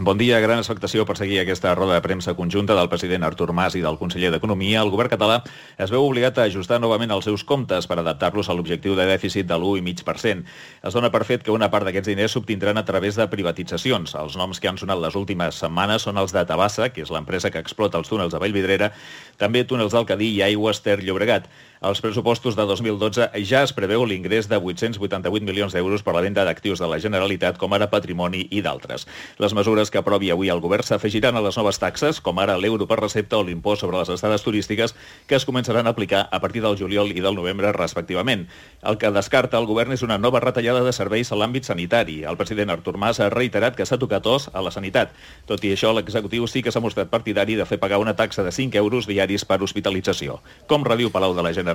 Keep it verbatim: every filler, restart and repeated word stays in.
Bon dia. Gran expectació per seguir aquesta roda de premsa conjunta del president Artur Mas i del conseller d'Economia. El govern català es veu obligat a ajustar novament els seus comptes per adaptar-los a l'objectiu de dèficit de l'u coma cinc per cent. Es dona per fet que una part d'aquests diners s'obtindran a través de privatitzacions. Els noms que han sonat les últimes setmanes són els de Tabasa, que és l'empresa que explota els túnels de Vallvidrera, també túnels del Cadí i Aigües Ter Llobregat. Als pressupostos de dos mil dotze ja es preveu l'ingrés de vuit-cents vuitanta-vuit milions d'euros per la venda d'actius de la Generalitat, com ara patrimoni i d'altres. Les mesures que aprovi avui el govern s'afegiran a les noves taxes, com ara l'euro per recepta o l'impost sobre les estades turístiques, que es començaran a aplicar a partir del juliol i del novembre, respectivament. El que descarta el govern és una nova retallada de serveis a l'àmbit sanitari. El president Artur Mas ha reiterat que s'ha tocat os a la sanitat. Tot i això, l'executiu sí que s'ha mostrat partidari de fer pagar una taxa de cinc euros diaris per hospitalització. Com rediu Palau de la Generalitat.